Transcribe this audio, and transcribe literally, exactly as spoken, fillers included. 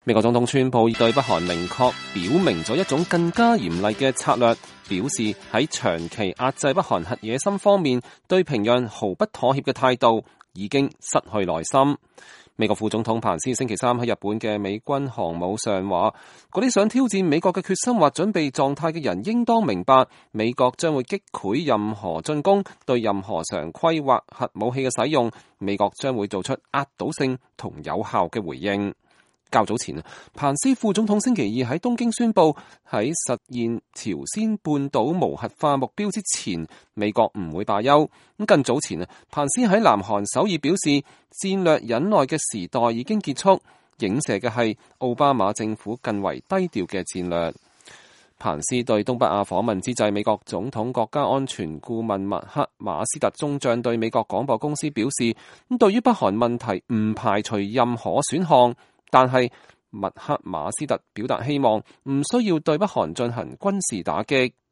美國總統川普對北韓明確表明咗一種更加嚴厲嘅策略，表示喺長期壓制北韓核野心方面，對平壤毫不妥協嘅態度已經失去耐心。美國副總統彭斯星期三喺日本嘅美軍航母上話，嗰啲想挑戰美國嘅決心或準備狀態嘅人應當明白，美國將會擊潰任何進攻，對任何常規或核武器嘅使用，美國將會做出壓倒性同有效嘅回應。較早前，彭斯副總統星期二喺東京宣布，喺實現朝鮮半島無核化目標之前，美國唔會罷休。咁更早前，彭斯喺南韓首爾表示，戰略忍耐嘅時代已經結束，影射嘅係奧巴馬政府更為低調嘅戰略。彭斯對東北亞訪問之際，美國總統國家安全顧問麥克馬斯特中將對美國廣播公司表示，咁對於北韓問題唔排除任何選項。但係麥克馬斯特表達希望唔需要對北韓進行軍事打擊。